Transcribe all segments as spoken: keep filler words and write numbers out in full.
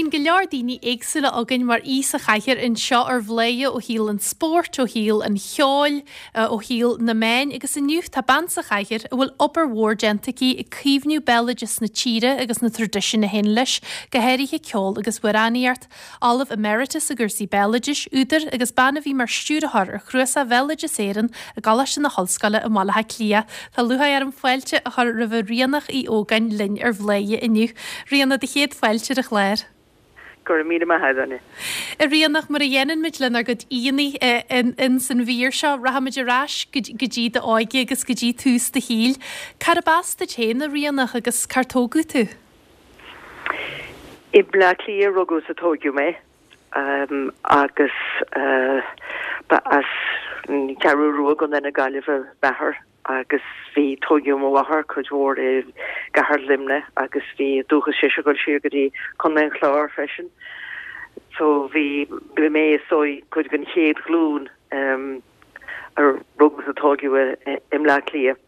Bíonn go leor daoine éagsúla againn mar aoi sa chathaoir anseo ar Bhladhaire ó shaol an spóirt, ó shaol an cheoil, ó shaol na meán agus inniu tá bean sa chathaoir a bhfuil obair mhór déanta aici ag caomhnú béaloideas na tíre agus na traidisiúin a théann leis, go háirithe ceol agus amhránaíocht. Ollamh Emeritus i gcúrsaí béaloidis, údar agus bean a bhí mar stiúrthóir ar Chnuasach Bhéaloideas Éireann i gColáiste na hOllscoile i mBaile Átha Cliath. Tá lúcháir orm fáilte a chur roimh Ríonach Uí Ógáin linn ar Bhladhaire inniu. Ríona, do chéad fáilte ar an chlár. Go raibh míle maith agat, Áine. A Ríonach, mar a dhéanann muid lenár gcuid aíonna ins an mhír seo, rachaimid ar ais go dtí d'óige agus go dtí tús do shaoil. Cárb as duit féin, a Ríonach, agus cár tógadh tú? I mBleá Cliath a rugadh is a tóigeadh mé agus ba as an Cheathrú Rua i gContae na Gaillimhe m'athair. agus bhí tóigeadh mo mháthair cuid mhór i gcathair Luimnigh agus bhí dúchas sise ag dul siar go dtí Contae an Chláir freisin. So bhí bhí mé is dóigh cuid den chéad ghlúin a rugadh is a tóigeadh i mBleá Cliath.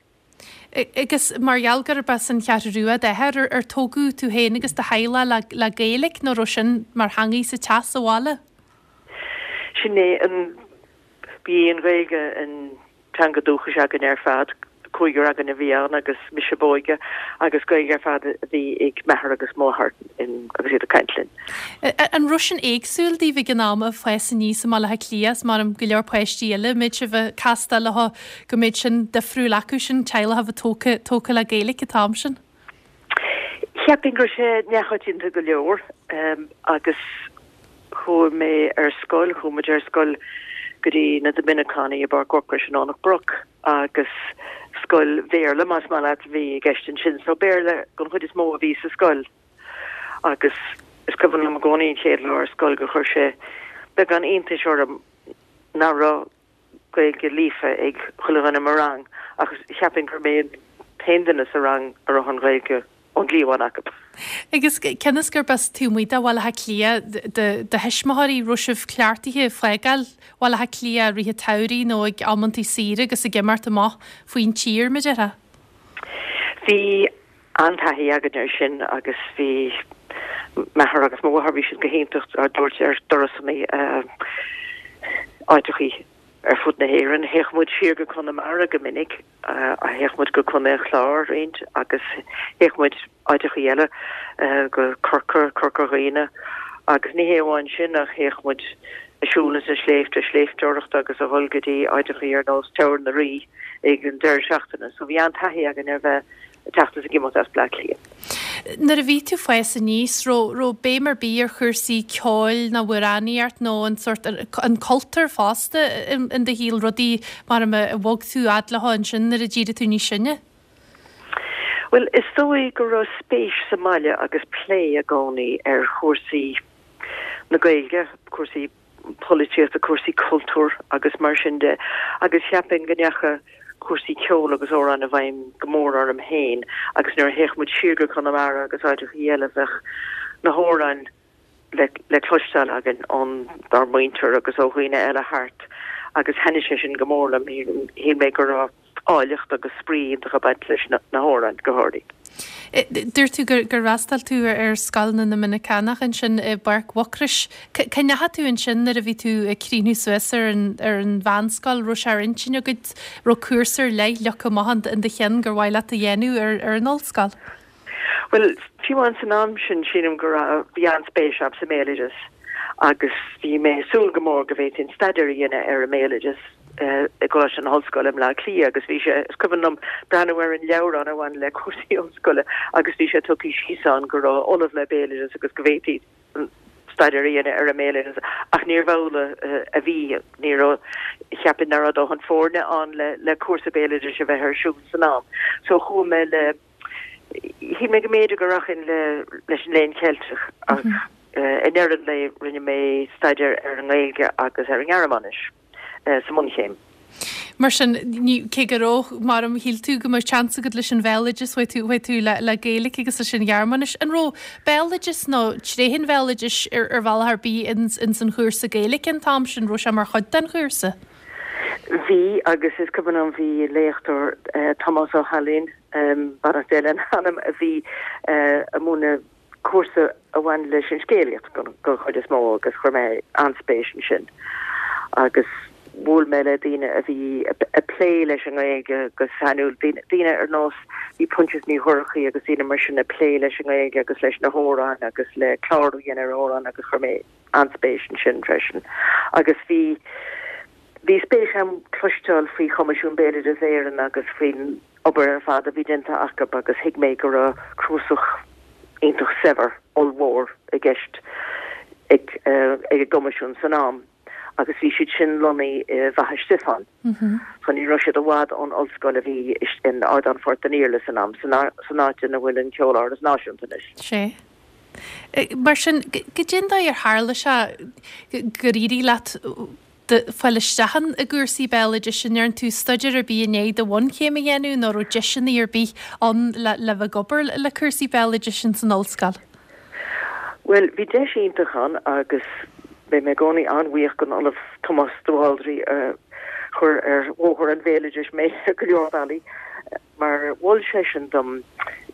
Agus mar gheall gurb as an Cheathrú Rua d'athair, ar tógadh tú féin agus do theaghlach le Gaeilge nó raibh sin mar theangaidh sa teach sa bhaile? Sin é an, bhí an Ghaeilge an teanga dúchais againn ar fad, cúigear againn a bhí ann agus mise ab óige, agus Gaeilge ar fad a bhí ag m'athair agus mo mháthair agus iad ag caint linn. An raibh sin éagsúil daoibh ag an am ag fás aníos i mBaile Átha Cliath is mar go leor páistí eile, an mbeadh sibh ag castáil leo go mbeadh sin difriúil acu sin, teaghlach a bheith tógtha tógtha le Gaeilge an t-am sin? Cheapfainn go raibh sé neamhchoitianta go leor agus chuaigh mé ar scoil, chuaigh muid ar scoil go dtí na Doiminiceánaigh i bPáirc Mhucrois i nDomhnach Broc agus scoil Bhéarla, más maith leat, a bhí i gceist ansin. So Béarla den chuid is mó a bhí sa scoil agus is cuimhin liom i gcónaí an chéad lá ar scoil gur chuir sé beagán iontais orm nach raibh Gaeilge líofa ag chuile dhuine i mo rang ach cheapfainn gur mé an t-aon duine sa rang a raibh an Ghaeilge ón gcliabhán acu. Agus cionn is gurb as taobh amuigh de Bhaile Átha Cliath do thuismitheoirí, raibh sibh cleachtaithe ag fágáil Bhaile Átha Cliath i rith an tsamhraidh nó ag amantaí saoire agus ag imeacht amach faoin tír, mar a déarfá? Bhí an-taithí againn air sin agus bhí m'athair agus mo mháthair, bhí siad go hiontach ár dtabhairt ar turasanna áiteachaí ar fud na hÉireann. Théadh muid siar go Conamara go minic, théadh muid go Contae an Chláir roinnt agus théadh muid áiteachaí eile, go Corcaigh, Corca Dhuibhne agus ní hé amháin sin ach théadh muid ag siúl ins na sléibhte, sléibhteoireacht agus a dhul go dtí áiteachaí ar nós Teamhair na Rí ag an deireadh seachtaine. So bhí an-taithí againn ar bheith ag teacht is ag imeacht as Bleá Cliath. Nuair a bhí tú fás aníos, raibh raibh béim ar bith ar chúrsaí ceoil nó amhránaíocht nó an sórt, an cultúr fosta in do shaol, rudaí mar a bhog tú fhad leo ansin nuair a d'éirigh tú níos sine? Bhuel, is dóigh go raibh spéis sa mbaile agus plé i gcónaí ar chúrsaí na Gaeilge, cúrsaí polaitíochta, cúrsaí cultúir agus mar sin de agus cheapfainn go ndeachaigh cúrsaí ceoil agus amhráin i bhfeidhm go mór orm féin agus nuair a théadh muid siar go Conamara agus áiteachaí eile bheadh na hamhráin le le cloisteáil againn ón dár muintir agus ó dhaoine eile thart agus thaitnigh sé sin go mór liom. Shíl mé go raibh áilleacht agus spraoi iontach ag baint leis na hamhráin, go háirithe. Dúirt tú gur fhreastail tú ar Scoil na nDoiminiceánach ansin i bPáirc Mhucrois. Cá ndeachaigh tú ansin nuair a bhí tú ag críochnú suas ar an ar an mheánscoil? Raibh sé ar intinn agat, raibh cúrsa ar leith leagtha amach in do cheann gur mhaith leat a dhéanamh ar ar an ollscoil? Bhuel, fiú amháin san am sin, sílim go raibh, bhí an-spéis agam sa mbéaloideas agus bhí mé ag súil go mór go bhféadfainn staidéar a dhéanamh ar an mbéaloideas i gColáiste na hOllscoile i mBleá Cliath agus bhí sé, is cuimhin liom breathnú ar an leabhrán a bhain le cúrsaí ollscoile agus bhí sé tugtha síos ann go raibh ollamh le béaloideas agus go bhféadfaí staidéar a dhéanamh ar an mbéaloideas ach níorbh amhlaidh a bhí, ní raibh, cheapfainn nach raibh dóthain foirne ann le le cúrsa béaloidis a bheith ar siúl san am. So chuaigh mé le, shíl mé go mb'fhéidir go rachainn le leis an Léann Ceilteach ach i ndeireadh an lae rinne mé staidéar ar an nGaeilge agus ar an nGearmáinis sa mbunchéim. Mar sin, ní, cé go raibh, mar a shíl tú go mbeadh seans agat leis an bhéaloideas, chuaigh tú, chuaigh tú le, le Gaeilge agus leis an Ghearmáinis. An raibh béaloideas nó tréithe an bhéaloidis ar, ar bhealach ar bith ins, ins an chúrsa Gaeilge an t-am sin? Raibh sé mar chuid den chúrsa? Bhí, agus is cuimhin liom bhí léachtóir, Tomás Ó hAilín, beannacht Dé lena anam, a bhí ag múineadh cúrsa a bhain leis an scéalaíocht den chuid is mó agus chuir mé an-spéis ansin. Agus bhuail mé le daoine a bhí ag plé leis an nGaeilge go sainiúil, daoine ar nós bhí Proinsias Ní Dhorchaí agus daoine mar sin ag plé leis an nGaeilge agus leis na hamhráin agus le clárú a dhéanamh ar amhráin agus chuir mé an-spéis ansin freisin. Agus bhí bhí spéis agam cloisteáil faoi Choimisiún Béaloideas Éireann agus faoin obair ar fad a bhí déanta acu agus thuig mé go raibh cnuasach iontach saibhir ollmhór i gceist ag ag an gCoimisiún san am agus bhí siad sin lonnaithe i bhFaiche Stiofáin. So ní raibh siad i bhfad ón ollscoil a bhí in Ardán Phort an Iarla san am, san áit ina bhfuil an Ceoláras Náisiúnta anois. Sé. Mar sin, goidé an dóigh ar tharla sé gur éirigh leat fáil isteach i gcúrsaí béaloidis? An ndearna tú staidéar ar bith i ndiaidh do bhunchéim a dhéanamh nó raibh deiseanna ar bith ann le le bheith ag obair le cúrsaí béaloidis san ollscoil? Bhuel, bhí deis iontach ann agus beidh mé i gcónaí an-bhuíoch den Ollamh Tomás de Bhaldraithe a chuir ar bhóthar an bhéaloidis mé ar go leor bealaí, mar mhol seisean dom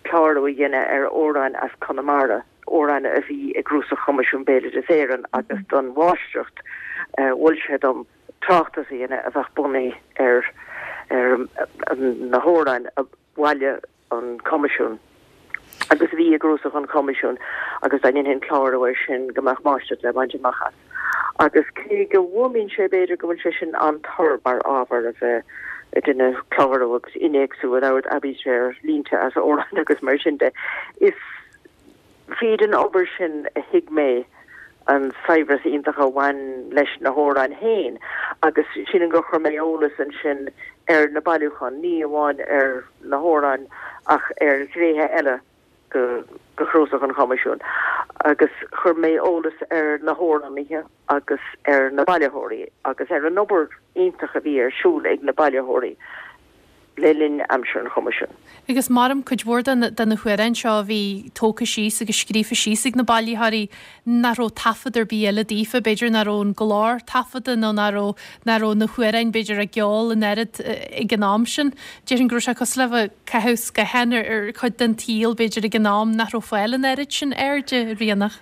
clárú a dhéanamh ar amhráin as Conamara, amhráin a bhí i gcnuasach Choimisiún Béaloideas Éireann agus don mháistreacht mhol sé dom tráchtas a dhéanamh a bheadh bunaithe ar ar na hamhráin a bhailigh an Coimisiún agus a bhí i gcnuasach an Choimisiúin agus dá ndéanfainn clárú air sin go mbeadh máistreacht le baint amach as. Agus cé go bhfuaimníonn sé b'fhéidir go bhfuil sé sin an-tur mar ábhar a bheith ag déanamh clárú agus innéacsú in ord aibítre ar línte as amhráin agus mar sin de, is fríd an obair sin a thuig mé an saibhreas iontach a bhain leis na hamhráin féin agus sílim gur chuir mé eolas ansin ar na bailiúcháin, ní amháin ar na hamhráin ach ar ghnéithe eile de chnuasach an Choimisiúin agus chuir mé eolas ar na hamhránaithe agus ar na bailitheoirí agus ar an obair iontach a bhí ar siúl ag na bailitheoirí le linn aimsir an Choimisiúin. Agus maram cuid mhór de na hamhráin seo a bhí tógtha síos agus scríofa síos ag na bailitheoirí nach raibh taifead ar bith eile daofa, b'fhéidir nach raibh an glór taifeadta nó nach raibh nach raibh na hamhráin b'fhéidir á gceol an oiread ag an am sin. Déarfainn go raibh sé cosúil le bheith ag caitheamh scátháin ar ar chuid den tsaol b'fhéidir ag an am nach raibh fáil an oiread sin air a Ríonach.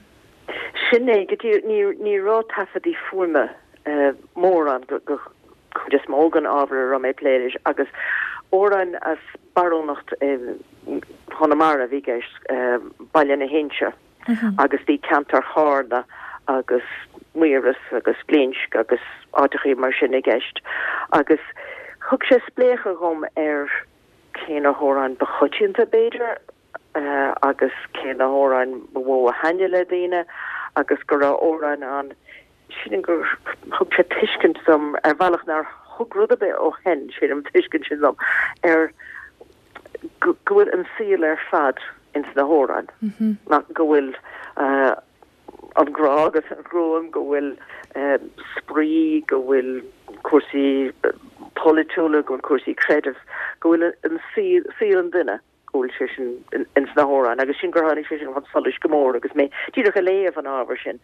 Sin é, go dtí ní ní raibh taifeadaí fuaime mórán go go chuid is mó den ábhar a raibh mé ag plé leis agus amhráin as barúntacht Chonamara a bhí i gceist, Baile na hInse agus bhí ceantar Charna agus Maoras agus Glinsc agus áiteachaí mar sin i gceist agus thug sé spléachadh dhom ar cé na hamhráin ba choitianta b'fhéidir agus cé na hamhráin ba mhó a thaitnigh le daoine agus go raibh amhráin ann Sílim gur thug sé tuiscint dom ar bhealach nár thug rud ar bith ó shin, sílim, tuiscint sin dom ar go bhfuil an saol ar fad ins na hamhráin, go bhfuil an grá agus an ghruaim, go bhfuil spraoi, go bhfuil cúrsaí polaitiúla, go bhfuil cúrsaí creidimh, go bhfuil an saol an duine. go bhfuil sé sin ins na hamhráin agus sin gur tháinig sé sin chun solais go mór agus mé díreach ag léamh an ábhair sin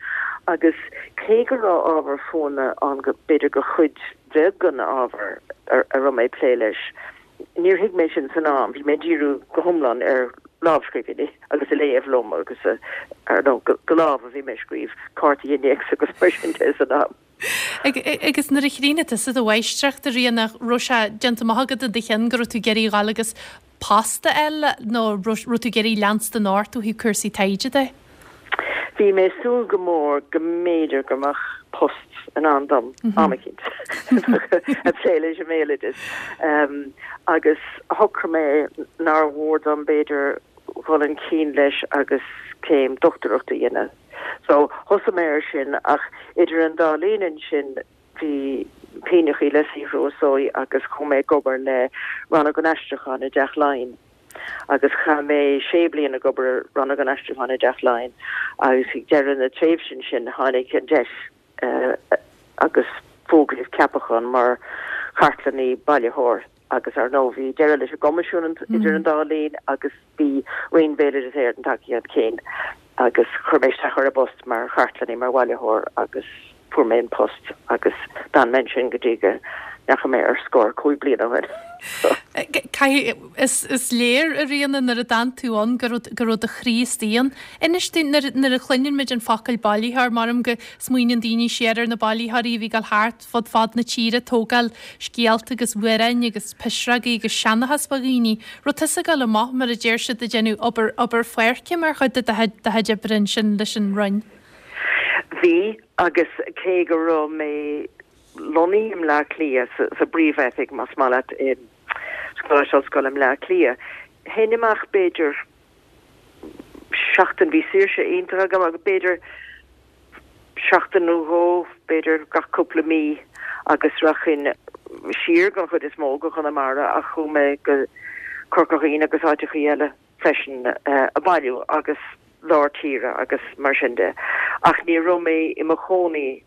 agus cé go raibh ábhar fuaime ann go b'fhéidir go chuid bheag den ábhar a raibh mé ag plé leis, níor thuig mé sin san am, bhí mé ag díriú go hiomlán ar lámhscríbhinní agus ag léamh liom agus ar ndóigh go lámh a bhí mé ag scríobh cártaí innéacs agus mar sin de san am. Agus nuair a chríochnaigh tusa do mháistreacht, a Ríonach, raibh sé déanta amach agat i do chionn go raibh tú ag iarraidh a ghabháil agus post a fháil nó raibh tú ag iarraidh leanstan ort ó thaobh cúrsaí taighde de? Bhí mé ag súil go mór go mb'fhéidir go mbeadh post i ndán dom am eicínt ag plé leis an mbéaloideas agus shocraigh mé nár mhór dom b'fhéidir dhul chun cinn leis agus céim dochtúireachta a dhéanamh. So, thosaigh mé ar sin ach idir an dá linn ansin bhí pínneachaí le saothrú is dóigh agus chuaigh mé ag obair le Rannóg an Aistriúcháin i dTeach Laighean agus chaith mé sé bliana ag obair i Rannóg an Aistriúcháin i dTeach Laighean agus ag deireadh na tréimhse sin tháinig an deis agus fógraíodh ceapachán mar chartlannaí bailitheoir. Agus ar ndóigh bhí deireadh leis an gCoimisiún idir an dá linn agus bhí Roinn Bhéaloideas Éireann tagtha chun cinn agus chuir mé isteach ar an bpost mar chartlannaí, mar bhailitheoir agus fuair mé an post agus d'fhan mé ansin go dtí go ndeachaigh mé ar scor cúig bliana ó shin. Is is léir a Ríona nuair a d'fhan tú ann go raibh go raibh do chroí istigh ann. Inis dúinn nuair nuair a chluineann muid an focal bailitheoir maram go smaoineann daoine siar ar na bailitheoirí a bhí ag dul thart fud fad na tíre ag tógáil scéalta agus amhráin agus pisreogaí agus seanchas fá dhaoine. Raibh tusa ag dul amach mar a deir siad ag déanamh obair obair pháirce mar chuid de do chuid oibre ansin leis an Roinn. Bhí agus cé go raibh mé lonnaithe i mBleá Cliath sa, sa bpríomhoifig más maith leat i Coláiste Ollscoile i mBleá Cliath. Théinn amach b'fhéidir seachtain bhí saoirse iontach agam agus b'fhéidir seachtain nó dhó b'fhéidir gach cúpla mí agus rachainn siar den chuid is mó go Conamara ach chuaigh mé go Corca Dhuibhne agus áiteachaí eile freisin ag bailiú agus lár tíre agus mar sin de. Ach ní raibh mé i mo chónaí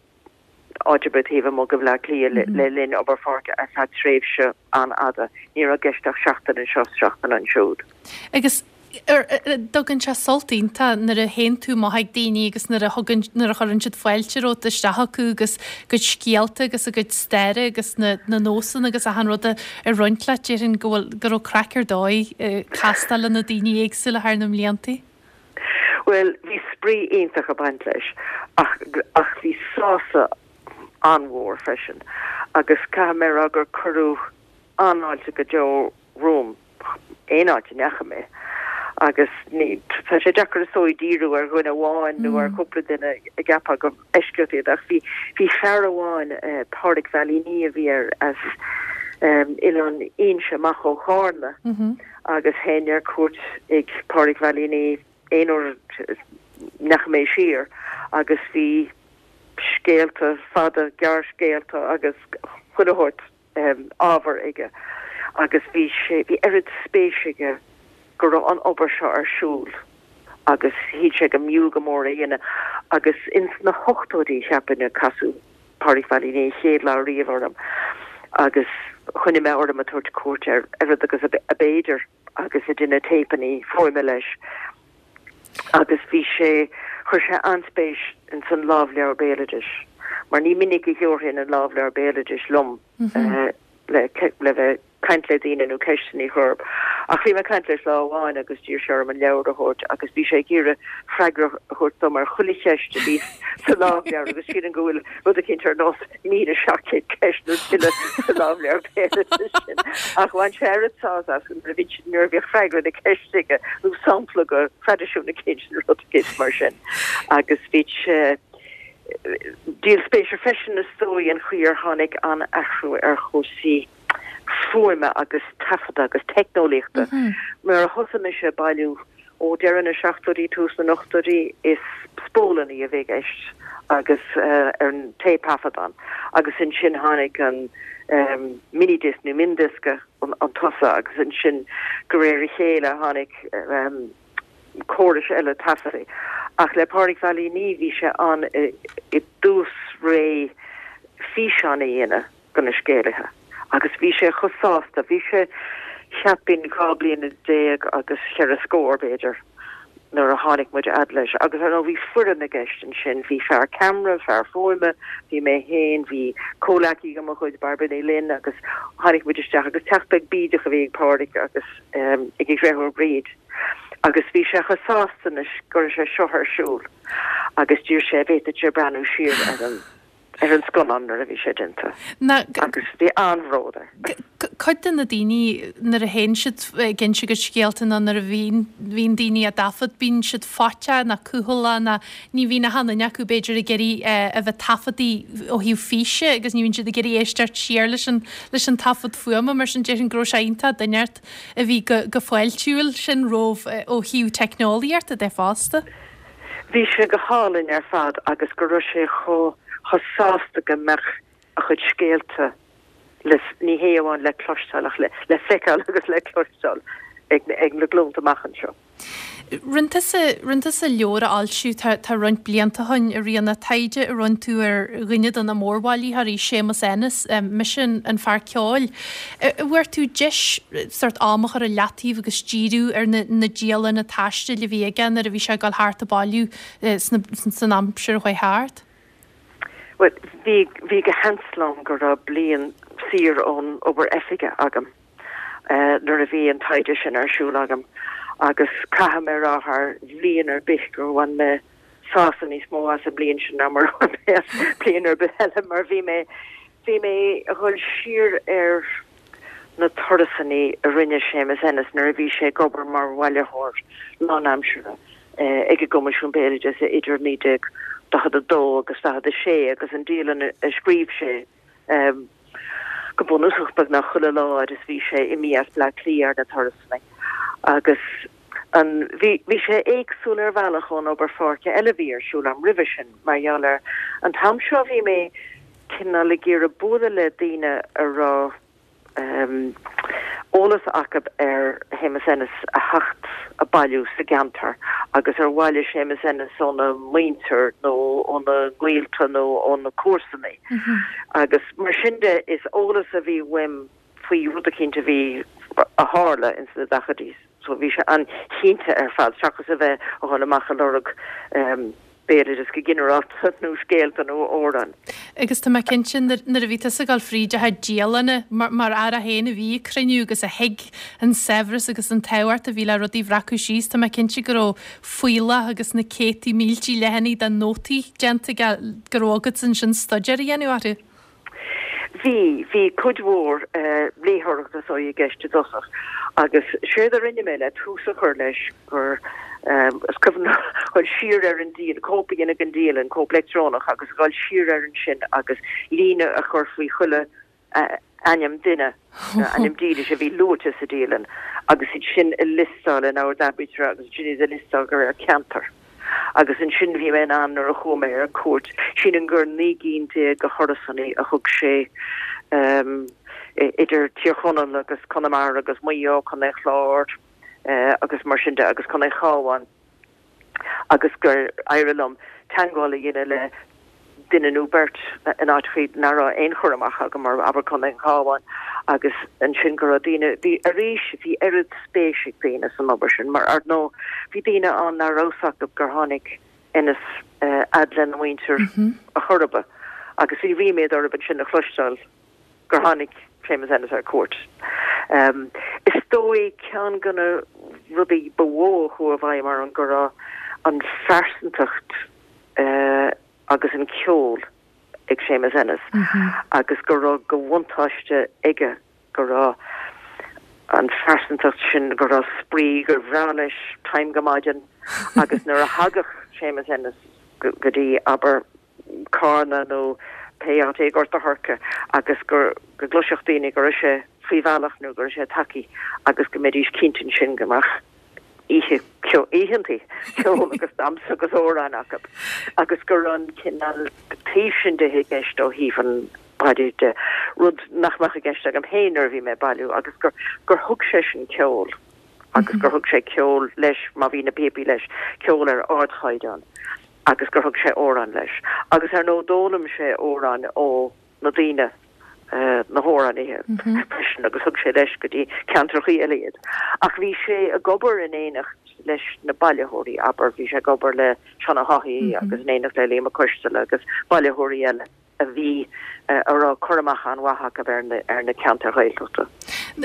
áit ar bith taobh amuigh de Bhleá Cliath le linn obair pháirce ar feadh tréimhse an-fhada. Ní raibh i gceist ach seachtain anseo is seachtain ansiúd. Agus dtugann sé sult iontach nuair a théann tú amach ag daoine agus nuair a thugann nuair a chuireann siad fáilte romhat isteach acu agus a gcuid scéalta agus a gcuid staire agus na na nósanna agus achan rud a roinnt leat déarfainn go bhfuil go raibh craic ar dóigh castáil le na daoine éagsúla thar na mblianta. Well, bhí spraoi iontach ag baint leis ach ach bhí sásamh an-mhór freisin agus caithfidh mé a rá gur cuireadh an-fháilte go deo romham aon áit a ndeachaigh mé agus ní tá sé deacair is dóigh díriú ar dhuine amháin nó ar chúpla duine a gceapfá gur eisceacht iad ach bhí bhí fear amháin eh, Pádraig Veidhlíní a bhí air as um, Oileán Inse amach ó Chárna mm -hmm. agus théinn ar cuairt ag Pádraig Veidhlíní aon uair a ndeachaigh mé siar agus bhí scéalta fada gearrscéalta agus chuile shórt um, ábhar aige agus bhí sé bhí oiread spéis aige go raibh an obair seo ar siúl agus shíl sé go mb'fhiú go mór é a dhéanamh agus ins na hochtóidí cheapfainn a casadh Pádraig Veidhlíní an chéad lá riamh orm agus choinnigh mé orm ag tabhairt cuairt air oiread agus ab fhéidir agus ag déanamh téipeanna fuaime leis agus bhí sé chuir sé an-spéis in san lámhleabhar béaloidis mar ní minic a thabharfainn an lámhleabhar béaloidis liom mm -hmm. uh, le le bheith caint le daoine nó ceisteanna a chur. Ach bhí mé ag caint leis lá amháin agus d'iarr sé orm an leabhar a thabhairt agus bhí sé ag iarraidh freagra a thabhairt dom ar chuile cheist a bhí sa lámhleabhar agus sílim go bhfuil rud eicínt ar nós míle seacht gcéad ceist nó tuilleadh sa lámhleabhar béaloidis sin. Ach bhain sé oiread sásamh as nuair a bhí nuair a bhíodh freagra na ceiste aige nó sampla de thraidisiún eicínt nó rud eicínt mar sin. Agus bhí sé díol spéise freisin is dóigh an chaoi ar tháinig an athrú ar chúrsaí fuaime agus taifeadta agus teicneolaíochta. Mm -hmm. Mar a thosaigh mise ag bailiú ó deireadh na seachtóidí tús na n-ochtóidí is spólanna a bhí i gceist agus uh, ar an téipthaifeadán agus ansin tháinig an um, minidisc nó miondisc an, an tosa agus ansin de réir a chéile tháinig um, córais eile taifeadta. Ach le Pádraig Veidhlíní bhí sé an i, i dtús ré físeán a dhéanamh de na scéalaithe. Agus bhí sé chomh sásta, bhí sé cheapfainn dhá bliana déag agus cheithre scór b'fhéidir nuair a tháinig muid fhad leis. Agus ar bhí foireann i gceist ansin, bhí fear ceamara, fear fuaime, bhí mé féin, bhí comhghleacaí de mo chuid Bairbre Ní Fhloinn agus tháinig muid isteach agus teach beag bídeach a bhí ag Pádraig agus um, ag a dheirfiúr Bríd. Agus bhí sé chomh sásta anois go raibh sé seo ar siúl. Agus d'iarr sé b'fhéidir sé breathnú siar ar an ar an scannán nuair a bhí sé déanta. Agus bhí an-bhród air. Cuid de na daoine nuair a théann siad ag inse a gcuid scéalta nó nuair a bhíonn bhíonn daoine á dtaifead bíonn siad faiteach nó cúthaileach nó ní bhíonn achan duine acu b'fhéidir ag iarraidh a bheith taifeadta ó thaobh físe agus ní bhíonn siad ag iarraidh éisteacht siar leis an leis an taifead fuaime mar sin déarfainn go raibh sé iontach duine a bhí go go fáiltiúil sin romhaibh ó thaobh teicneolaíochta de fosta. Bhí sé go hálainn ar fad agus go raibh sé chomh chomh sásta go mbeadh a chuid scéalta le ní hé amháin le cloisteáil ach le le feiceáil agus le cloisteáil ag ag na glúnta amach anseo. Rinne tusa rinne tusa leabhar a fhoilsiú tá tá roinnt blianta ó shin a Ríona taighde a rinne tú ar dhuine de na mórbhailitheoirí Séamus Ennis, mise an fear ceoil. Bhfuair tú deis sort am a chur i leataobh agus díriú ar na na dialanna taistil a bhí aige nuair a bhí sé ag dul thart ag bailiú sna san aimsir a chuaigh thart? Well, bhí bhí go sheans liom go raibh bliain saor ón obair oifige agam. nuair a bhí an taighde sin ar siúl agam agus caithfidh mé a rá thar bhliain ar bith gur bhain mé sásamh níos mó as an bliain sin ná mar bliain ar bith eile mar bhí mé bhí mé a dhul siar ar na turasanna a rinne Séamus Ennis nuair a bhí sé ag obair mar bhailitheoir lánaimseartha ag an gCoimisiún Béaloideasa idir naoi déag daichead a dó agus daichead a sé agus an dialann a scríobh sé go bunúsach beagnach chuile lá fhad is bhí sé imithe as Bleá Cliath ar na turasanna agus an bhí bhí sé éagsúil ar bhealach ón obair pháirce eile a bhí ar siúl agam roimhe sin mar gheall ar an t-am seo bhí mé cineál ag iarraidh bualadh le daoine a raibh eolas acu ar Shéamus Ennis a theacht a bailiú sa gceantar agus ar bhailigh Séamus Ennis óna mhuintir nó óna ghaolta nó óna comharsana. Agus mar sin de is eolas a bhí uaim faoi rud eicínt a bhí a tharla ins na daichidí. So bhí sé an-chinnte ar fad seachas a bheith a dhul amach a lorg béaloideas go ginearálta nó scéalta nó amhráin. Agus tá mé cinnte nuair a bhí tusa ag dul fríd a chuid dialanna mar fhear é féin a bhí ag cruinniú agus a thuig an saibhreas agus an tábhacht a bhí le rudaí a bhreacadh síos, tá mé cinnte go raibh fuíollach agus na céadtaí míltí leathanaigh de nótaí déanta aige go raibh agat ansin staidéar a dhéanamh orthu. Bhí, bhí cuid mhór léitheoireachta so i gceist i dtosach agus séard a rinne mé le tús a chur leis gur is cuimhin liom dhul siar ar an dialann, cóip a dhéanamh den dialann, cóip leictreonach agus dhul siar air ansin agus líne a chur faoi chuile ainm duine, ainm dílis a bhí luaite sa dialann agus iad sin a liostáil in ord aibítre agus ansin iad a liostáil de réir ceantar. Agus ansin bhí mé in ann nuair a chuaigh mé ar cuairt, sílim gur naoi gcinn déag de thurasanna a thug sé idir Tír Chonaill agus Conamara agus Maigh Eo, Contae an Chláir agus mar sin de agus Contae an Chabháin agus gur éirigh liom teagmháil a dhéanamh le duine nó beirt in áiteachaí nach raibh aon chur amach agam mar abair Contae an Chabháin agus ansin go raibh daoine, bhí arís bhí oiread spéis ag daoine san obair sin mar ar ndóigh bhí daoine ann nach raibh fhios acu gur tháinig Ennis fhad lena mhuintir a chor ar bith agus bhí ríméad orthu ansin a chloisteáil gur tháinig Séamus Ennis ar cuairt. Is dóigh ceann de na rudaí ba mhó a chuaigh i bhfeidhm orm go raibh an phearsantacht agus an ceol ag Séamus Ennis agus go raibh de bhuntáiste aige go raibh an phearsantacht sin, go raibh spraoi, gur bhreá leis time go maidin agus nuair a thagadh Séamus Ennis go dtí, abair, Carna nó pé áit é, Gort a' Choirce agus go gcloisfeadh daoine go raibh sé faoi bhealach nó go raibh sé tagtha agus go mbeidís cinnte ansin go mbeadh oíche, oícheantaí ceoil agus damhsa agus amhráin acu agus go raibh an cineál taobh sin de i gceist ó thaobh an bhailiú de, rud nach mbeadh i gceist agam féin nuair a bhí mé ag bailiú agus gur gur thug seisean ceol agus gur thug sé ceol leis má bhí na píopaí leis, ceol ar ardchaighdeán. agus gur thug sé amhráin leis. Agus ar ndóigh d'fhoghlaim sé amhráin ó na daoine, na hamhránaithe freisin agus thug sé leis go dtí ceantrachaí eile iad. Ach bhí sé ag obair in éineacht leis na bailitheoirí, abair, bhí sé ag obair le Seán Ó hÁthaigh agus in éineacht le Liam Mac Coisteala agus bailitheoirí eile. a bhí, a raibh cur amach an-mhaith acu ar na, ar na ceantair Ghaeltachta.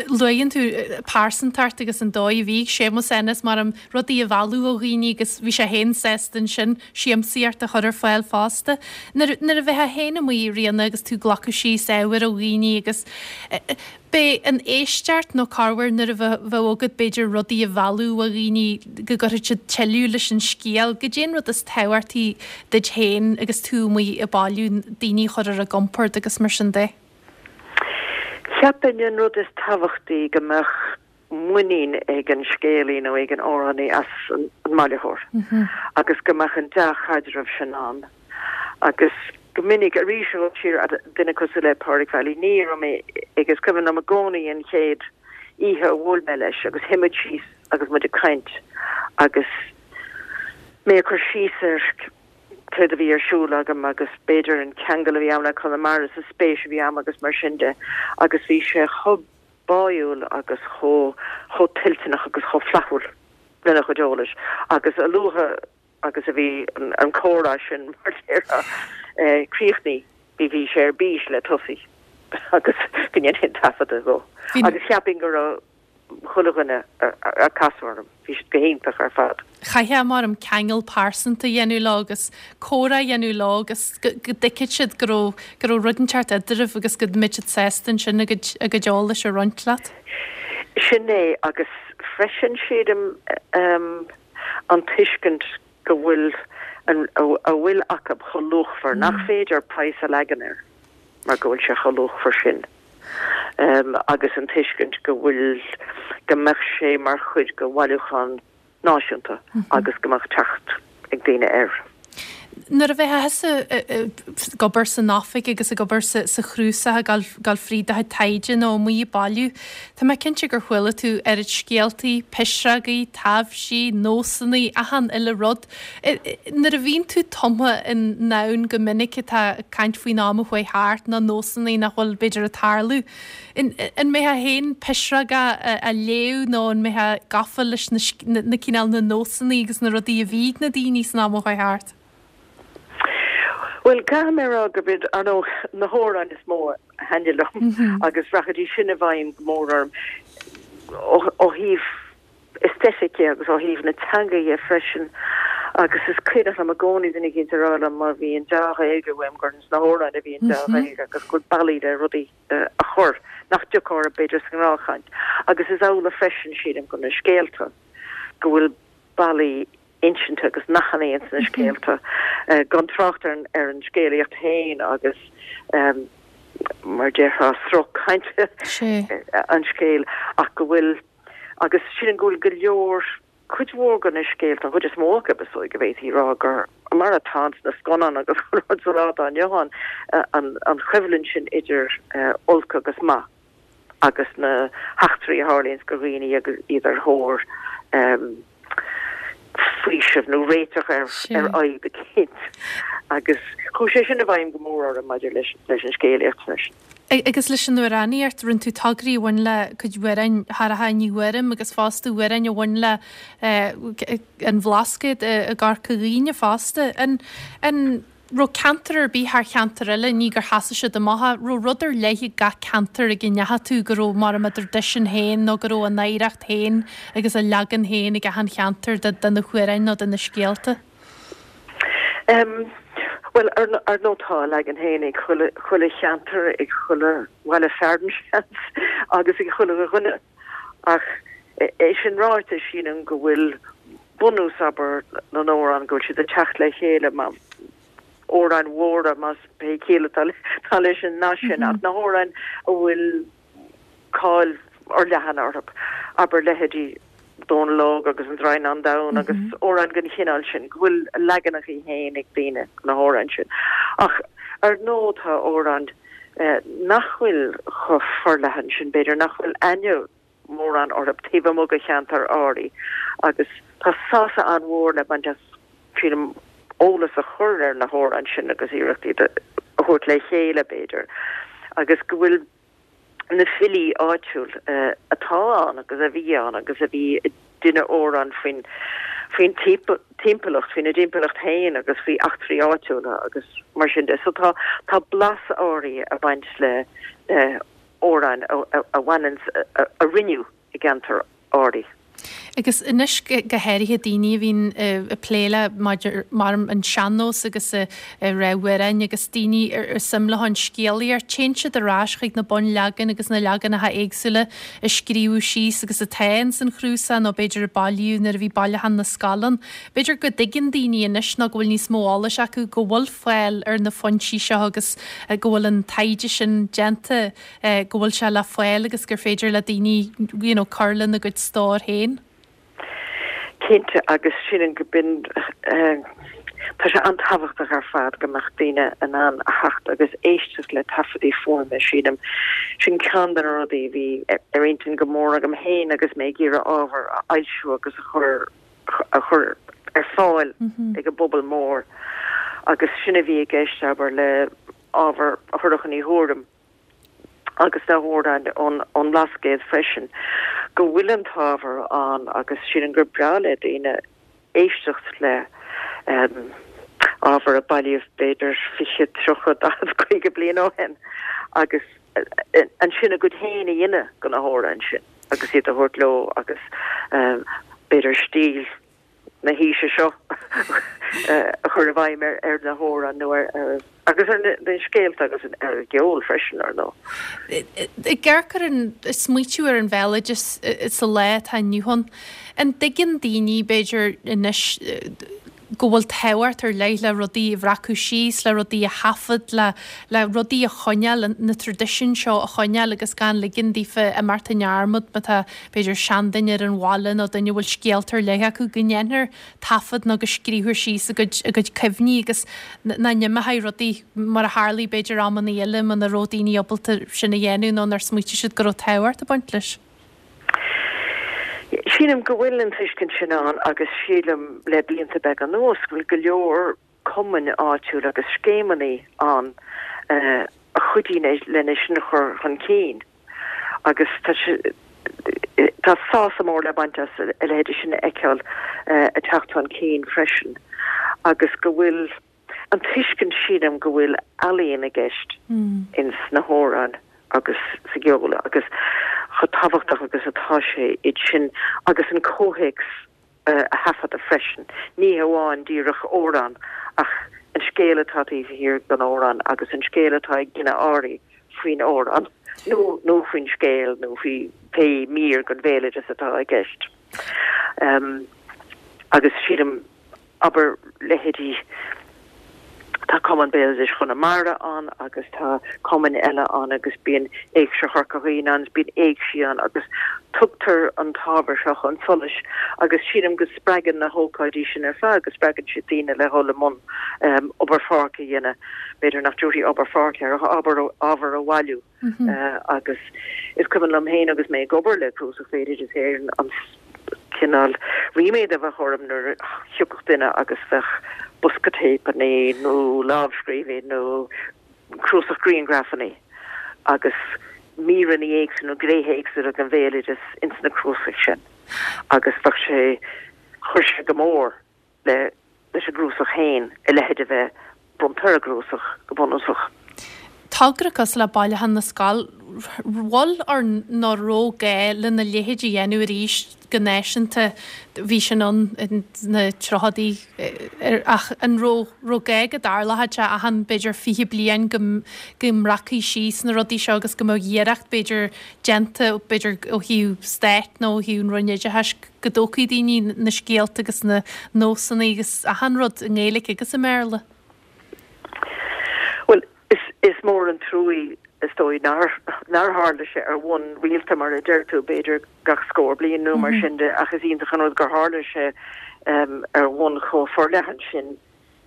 Luann tú pearsantacht agus an dóigh a bhí ag Séamus Ennis mar am rudaí a mhealladh ó dhaoine agus bhí sé féin sásta ansin siamsaíocht a chur ar fáil fosta. Nuair, nuair a bheifeá féin amuigh, Ríona, agus tú ag glacadh síos ábhair ó dhaoine agus B'é an éisteacht nó corruair nuair a bheadh agat b'fhéidir rudaí a mhealladh ó dhaoine go gcuirfeadh siad tuilleadh leis an scéal. Goidé an rud is tábhachtaí duit féin agus tú amuigh ag bailiú, daoine a chur ar a gcompord agus mar sin de? Cheapfainn an rud is tábhachtaí go mbeadh muinín ag an scéalaí nó ag an amhránaí as an mbailitheoir agus go mbeadh an dea-chaidreamh sin ann agus go minic arís ó siar duine cosúil le Pádraig Mhailí ní raibh mé ag is cuimhin liom i gcónaí an chéad oíche a bhuail mé leis agus shuigh muid síos agus muid ag caint agus mé ag cur síos ar céard a bhí ar siúl agam agus b'fhéidir an ceangal a bhí agam le Conamara is an spéis a bhí agam agus mar sin de agus bhí sé chomh báúil agus chomh chomh toilteanach agus chomh flaithiúil lena chuid eolais agus a luaithe agus a bhí an comhrá sin, mar a déarfá, críochnaithe, bhí bhí sé ar bís le tosaí agus go ndéanfainn taifeadadh dhó. Agus cheapfainn go raibh chuile dhuine a casadh orm, bhí siad go hiontach ar fad. Chaithfeá mar ceangal pearsanta a dhéanamh leo agus comhrá a dhéanamh leo agus go dtuigfeadh siad go raibh go raibh rud inteacht eadraibh agus go mbeadh siad sásta ansin a gcuid a gcuid eolais a roinnt leat. Sin é agus freisin sílim an tuiscint go bhfuil an a bhfuil acu chomh luachmhar nach féidir praghas a leagan air mar go bhfuil sé chomh luachmhar sin. Agus an tuiscint go bhfuil go mbeadh sé mar chuid de bhailiúchán náisiúnta agus go mbeadh teacht ag daoine air. Nuair a bheifeá thusa ag obair san oifig agus ag obair sa chnuasach ag dul fríd do chuid taighde nó amuigh ag bailiú, tá mé cinnte gur chuala tú oiread scéaltaí, pisreogaí, taibhsí, nósanna, achan uile rud. Nuair a bhíonn tú tumtha i ndomhan go minic atá ag caint faoin am a chuaigh thart nó nósanna nach bhfuil b'fhéidir ag tarlú, an mbeifeá féin pisreoga a léamh nó an mbeifeá gafa leis na cineál na nósanna agus na rudaí a bhí ag na daoine san am a chuaigh thart? Bhuel, caithfidh mé a rá gurb iad, ar ndóigh, na hamhráin is mó a thaitnigh liom agus rachaidís sin i bhfeidhm go mór orm ó thaobh aesthetic agus ó thaobh na teanga dhe freisin. Agus is cuimhneach liom i gcónaí duine éicint a rá liom má bhí an dea-Ghaeilge uaim gur sna hamhráin a bhí an dea-Ghaeilge agus go bhfuil bealaí le rudaí a chur nach dtiocfadh orthu b'fhéidir sa ngnáthchaint. Agus is amhlaidh freisin, sílim, do na scéalta, go bhfuil bealaí insinte agus nathanna ins na scéalta, gan trácht ar ar an scéalaíocht féin agus mar déarfá sruth cainte an scéil ach go bhfuil agus sílim go bhfuil go leor cuid mhór de na scéalta, an chuid is mó acu is dóigh go bhféadfaí a rá gur mar atá sna scannáin agus rud sa lá atá inniu ann an choimhlint sin idir olc agus maith agus na heachtraí a tharlaíonns do dhaoine agus iad ar thóir faoiseamh nó réiteach ar ar fhadhb eicínt agus chuaigh sé sin i bhfeidhm go mór orm maidir leis leis an scéalaíocht freisin. Agus leis an amhránaíocht, rinne tú tograí a bhain le cuid amhráin Shorcha Ní Ghuairim agus fosta amhráin a bhain le an Bhlascaod i gCorca Dhuibhne fosta. An an raibh ceantar ar bith thar cheantar eile, ní gur sheasaigh siad amach, ach raibh rud ar leith ag gach ceantar ag a ndeachaigh tú go raibh mar a dtraidisiún féin nó go raibh a n-oidhreacht féin agus a leagan féin ag achan cheantar de de na hamhráin nó de na scéalta? Em, bhuel, ar ar ndóigh tá a leagan féin ag chuile chuile cheantar, ag chuile bhaile fearainn seans, agus ag chuile dhuine. Ach é sin ráite, sílim go bhfuil bunús, abair, na n-amhrán, go bhfuil siad ag teacht le chéile mar amhráin mhóra, más pé ciall atá leis an nath sin, ach na hamhráin a bhfuil cáil fhorleathan orthu, abair leithéidí Dónal Óg agus An Draighneán Donn agus amhráin den chineál sin, go bhfuil a leaganacha féin ag daoine de na hamhráin sin. Ach ar ndóigh tá amhráin nach bhfuil chomh forleathan sin, b'fhéidir, nach bhfuil aithne mórán orthu taobh amuigh de cheantar áirithe agus tá sásamh an-mhór le baint as, sílim, eolas a chur ar na hamhráin sin agus iarracht iad a thabhairt le chéile, b'fhéidir, agus go bhfuil na filí áitiúil atá ann agus a bhí ann agus a bhí ag déanamh amhrán faoin faoin timpeallacht, faoina dtimpeallacht féin agus faoi eachtraí áitiúla agus mar sin de. So tá tá blas áirithe ag baint le amhráin a bhaineann, a rinneadh i gceantar áirithe. Agus anois go háirithe daoine a bhíonn ag plé le maidir mar an sean-nós agus ag rá amhráin agus daoine ar suim leo an scéalaíocht, téann siad ar ais chuig na bunleagain agus na leaganacha éagsúla a scríobhadh síos agus atá ins an chnuasach nó b'fhéidir a bailíodh nuair a bhí bailiúchán na scol ann. B'fhéidir go dtuigeann daoine anois nó go bhfuil níos mó eolais acu go bhfuil fáil ar na foinsí seo agus go bhfuil an taighde sin déanta go bhfuil sé le fáil agus gur féidir le daoine you know cur lena gcuid stór féin. Cinnte agus sílim go b'in tá sé an-tábhachtach ar fad go mbeadh daoine in ann a theacht agus éisteacht le taifeadtaí fuaime, sílim. Sin ceann de na rudaí a bhí ar intinn go mór agam féin agus mé ag iarraidh ábhar a fhoilsiú agus a chur a chur ar fáil ag an bpobal mór agus sin a bhí i gceist, abair, le ábhar Shorcha Ní Ghuairim agus na hamhráin ón ón mBlascaod freisin, go bhfuil an t-ábhar ann agus sílim gur breá le daoine éisteacht le ábhar a bailíodh b'fhéidir fiche, tríocha, daichead, caoga bliain ó shin agus ansin a gcuid féin a dhéanamh de na hamhráin sin. agus iad a thabhairt leo agus b'fhéidir stíl na haoise seo a chur i bhfeidhm ar ar na hamhráin nó ar ar agus ar na scéalta agus ar an gceol freisin, ar ndóigh. Ag amharc ar an smaoitiú ar an bhéaloideas sa lá atá inniu ann, an dtuigeann daoine, b'fhéidir, anois go bhfuil tábhacht ar leith le rudaí a bhreacadh síos, le rudaí a thaifead, le le rudaí a choinneáil, na traidisiúin seo a choinneáil agus gan ligean daofa imeacht i ndearmad má tá, b'fhéidir, seanduine ar an bhaile nó duine a bhfuil scéalta ar leith acu, go ndéanfar taifead nó go scríobhfar síos a gcuid a gcuid cuimhní agus nach n-imeoidh rudaí mar a tharlaigh b'fhéidir amanna eile muna raibh daoine ábalta sin a dhéanamh nó nár smaoitigh siad go raibh tábhacht ag baint leis. Sílim go bhfuil an tuiscint sin ann agus sílim le blianta beaga anuas go bhfuil go leor cumainn áitiúil agus scéimeanna ann a chuidíonn lena sin a chur chun cinn agus tá tá sásamh mór le baint as a leithéidí sin a fheiceáil ag teacht chun cinn freisin agus go bhfuil an tuiscint sílim go bhfuil ealaíon i gceist ins na hamhráin agus sa gceol agus chomh tábhachtach agus atá sé iad sin agus an comhthéacs a thaifeadadh freisin, ní hamháin díreach amhrán ach an scéal atá taobh thiar den amhrán agus an scéal atá ag duine áirithe faoin amhrán nó nó faoin scéal nó faoi pé mír den bhéaloideas atá i gceist. Agus sílim abair leithéidí Tá Cumann Béaloidis Chonamara ann agus tá cumainn eile ann agus bíonn Éigse Chorca Dhuibhne ann, bíonn éigsí ann agus tugtar an t-ábhar seo chun solais agus sílim go spreagann na hócáidí sin ar fad, go spreagann siad daoine le dhul i mbun obair pháirce a dhéanamh, b'fhéidir nach dtabharfaí obair pháirce air ach ábhar a bhailiú agus is cuimhin liom féin agus mé ag obair le Cnuasach Bhéaloideas Éireann an cineál ríméad a bheadh orm nuair a thiocfadh duine agus bheadh bosca téipeanna nó lámhscríbhinn nó cnuasach grianghrafanna agus míreanna éagsúla nó gnéithe éagsúla den bhéaloideas ins na cnuasaigh sin agus bheadh sé, chuir sé go mór le leis an gcnuasach féin, a leithéid a bheith bronnta ar an gcnuasach go bunúsach. Togra cosúil le Bailiúchán na Scol, bhfuil or nach raibh gá lena leithéid a dhéanamh arís go náisiúnta, bhí sin ann sna tríochaidí ach an raibh raibh gá go dtarlódh sé achan b'fhéidir fiche bliain go go mbreacfaí síos na rudaí seo agus go mbeadh iarracht b'fhéidir déanta b'fhéidir ó thaobh stáit nó ó thaobh an Roinn Oideachais go dtógfaí daoine na scéalta agus na nósanna agus achan rud i nGaeilge agus i mBéarla? Bhuel, is, is mór an truaí is dóigh nár, nár tharla sé ar bhonn rialta mar a deir tú, b'fhéidir gach scór bliain nó mar sin de, ach is iontach an rud gur tharla sé um, ar bhonn chomh forleathan sin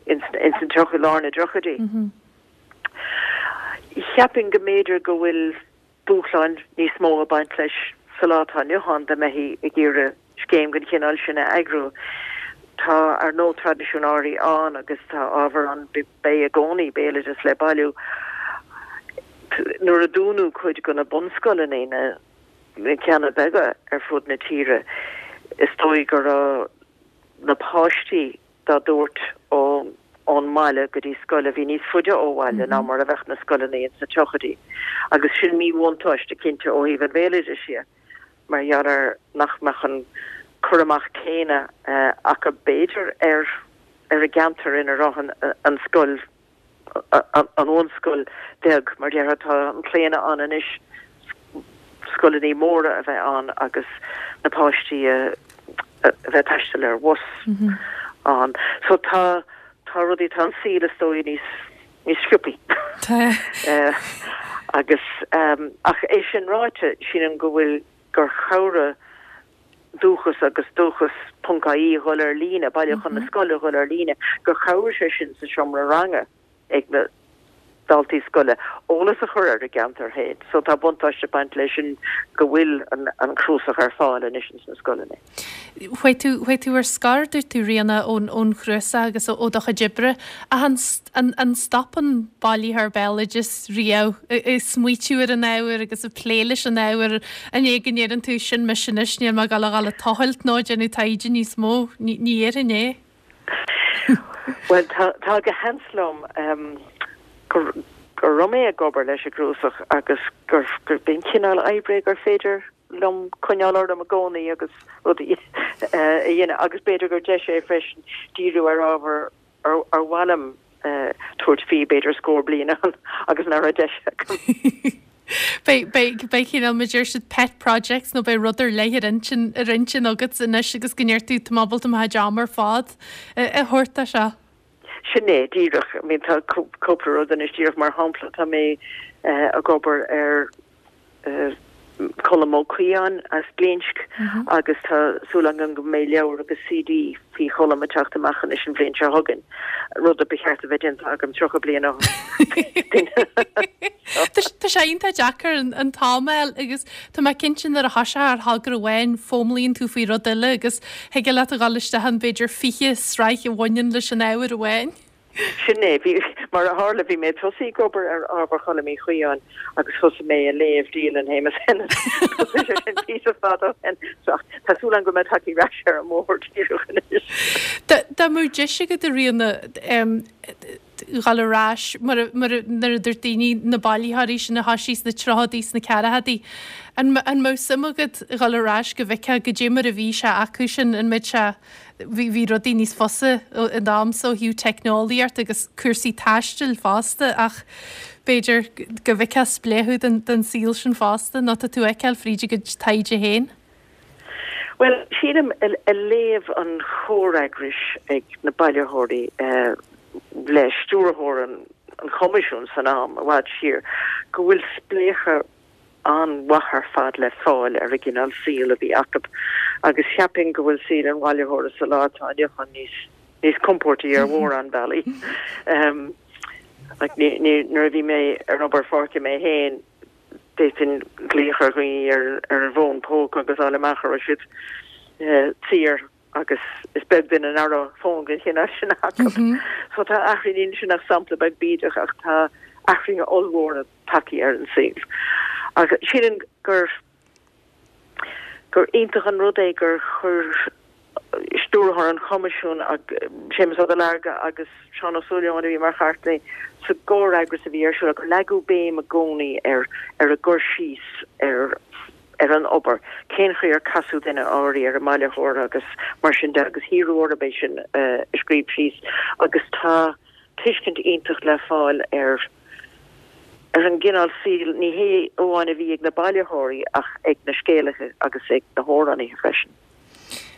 ins, ins an tríocha, lár na dtríochaidí. Cheapfainn go mb'fhéidir go bhfuil dúshláin níos mó ag baint leis sa lá atá inniu ann dá mbeifí ag iarraidh scéim den chineál sin a eagrú. Tá ar ndóigh traidisiún áirithe ann agus tá ábhar ann, beidh i gcónaí béaloideas le bailiú. Nuair a dúnadh cuid de na bunscoileanna, na ceanna beaga ar fud na tíre, is dóigh go raibh na páistí dá dtabhairt ón mbaile go dtí scoil a bhí níos faide ó bhaile ná mar a bheadh na scoileanna ins na tríochaidí. Agus sin míbhuntáiste cinnte ó thaobh an bhéaloidis dhe, mar gheall ar nach mbeadh an cur amach céanna acu b'fhéidir ar ar an gceantar ina raibh an scoil an bhunscoil bheag, mar déarfá, tá an claonadh ann anois scoileanna móra a bheith ann agus na páistí a bheith ag taisteal ar bhus ann. So tá tá rudaí, tá an saol is dóigh níos níos sciobthaí. Tá. Agus ach é sin ráite, sílim go bhfuil gur chabhraigh Dúchas agus Dúchas ponc IE a dhul ar líne, Bailiúchán na Scol a dhul ar líne, gur chabhraigh sé sin sa seomra ranga ag na daltaí scoile eolas a chur ar a gceantar féin. So tá buntáiste ag baint leis sin go bhfuil an cnuasach ar fáil anois ins na scoileanna. Chuaigh tú, chuaigh tú ar scor, dúirt tú, Ríona, ón, ón chnuasach agus ó do chuid oibre. Ach an, an, an stopann bailitheoir béaloidis riamh ag smaoitiú ar an ábhar agus ag plé leis an ábhar? An é go ndeireann tú, sin mise anois, níl mé ag dul a dhul ag tochailt nó ag déanamh taighde níos mó? Ní, ní dhéarfainn é. Bhuel, tá, tá go sheans liom gur, go raibh mé ag obair leis an gcnuasach agus gur, gur, b'in cineál oibre gur féidir liom coinneáil orm i gcónaí agus rudaí a dhéanamh agus b'fhéidir gur deis é freisin díriú ar ábhar ar ar mhaith liom tabhairt faoi b'fhéidir scór bliain agus nach raibh deis agam. Beidh beidh beidh cineál mar a deir siad pet projects nó beidh rud ar leith ar intinn ar intinn agat anois agus go ndeir tú tá mé ábalta mo chuid am ar fad a thabhairt dó seo. Sin é díreach, I mean tá cúpla rud anois díreach mar shampla tá mé ag obair ar Colm Ó Caodháin as Glinsc agus tá súil agam go mbeidh leabhar agus CD faoi Cholm ag teacht amach anois an bhliain seo chugainn, rud a ba cheart a bheith déanta agam tríocha bliain ó shin. Tá sé iontach deacair an t-am a fháil agus tá mé cinnte nuair a thosaíonn ar thogra amháin foghlaimíonn tú faoi rud eile agus thig leat a dhul isteach in b'fhéidir fiche sraith a bhaineann leis an ábhar amháin. Sin é. Bhí, mar a tharla, bhí mé ag tosaí ag obair ar ábhar Choilm Uí Chaodháin agus thosaigh mé ag léamh dialann Shéamus Ennis. Thosaigh sé sin píosa fada ó shin. So, tá súil agam go mbeidh tagtha ar ais ar an mbóthar díreach anois. Dá mbeadh deis agat a Ríona dhul ar ais, mar a, mar a, nuair a dúirt daoine, na bailitheoirí sin a thosaigh sna tríochaidí, sna ceathrachaidí, an, an mbeadh suim agat dhul ar ais go bhfeicfeá goidé mar a bhí sé acu sin, an mbeadh sé, Bhí bhí rudaí níos fusa in am so ó thaobh teicneolaíocht agus cúrsaí taistil fosta ach b'fhéidir go bhfeicfeá spléachadh den den saol sin fosta nó tá tú a fheiceáil fríd do chuid taighde féin. Bhuel, sílim ag léamh an chomhfhreagrais ag na bailitheoirí le stiúrthóir an Choimisiúin san am i bhfad siar go bhfuil spléachadh an-mhaith ar fad le fáil ar an gcineál saoil a bhí acu agus cheapfainn go bhfuil saol an bhailitheora sa lá atá inniu ann níos níos compórdaí ar mhórán bealaí. Like, ní, ní, nuair a bhí mé ar obair pháirce mé féin, d'fhéadfainn glaoch ar dhaoine ar, ar an bhfón póca agus fháil amach an raibh siad saor agus is beag duine nach raibh fón den chineál sin acu. So tá athruithe, níl sin ach sampla beag bídeach ach tá athruithe ollmhóra tagtha ar an saol. Ach sílim gur gur iontach an rud é gur chuir stiúrthóir an Choimisiúin, Séamus Ó Duilearga agus Seán Ó Súilleabháin a bhí mar chartlannaí sa gcomhfhreagras a bhí ar siúl, gur leagadh béim i gcónaí ar ar an gcur síos ar ar an obair, cén chaoi ar casadh duine áirithe ar an mbailitheoir agus mar sin de agus hiarradh orthu é sin a scríobh síos agus tá tuiscint iontach le fáil ar ar an gcineál saoil, ní hé amháin a bhí ag na bailitheoirí ach ag na scéalaithe agus ag na hamhránaithe freisin.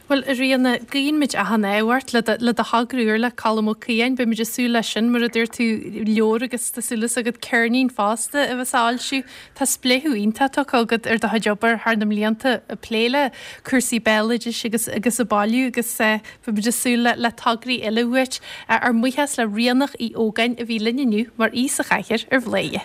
Bhuel, a Ríona, guíonn muid achan ádh ort le do, le do thogra úr le Colm Ó Caodháin. Beidh muid ag súil leis sin, mar a dúirt tú, leabhar agus tá súil agat ceirnín fosta a bheas á fhoilsiú. Tá spléachadh iontach tugtha agat ar do chuid obair thar na mblianta ag plé le cúrsaí béaloidis agus agus ag bailiú agus beidh muid ag súil le le tograí eile uait. Ár mbuíochas le Ríonach Uí Ógáin a bhí linn inniu mar aoi sa chathaoir ar Bhladhaire.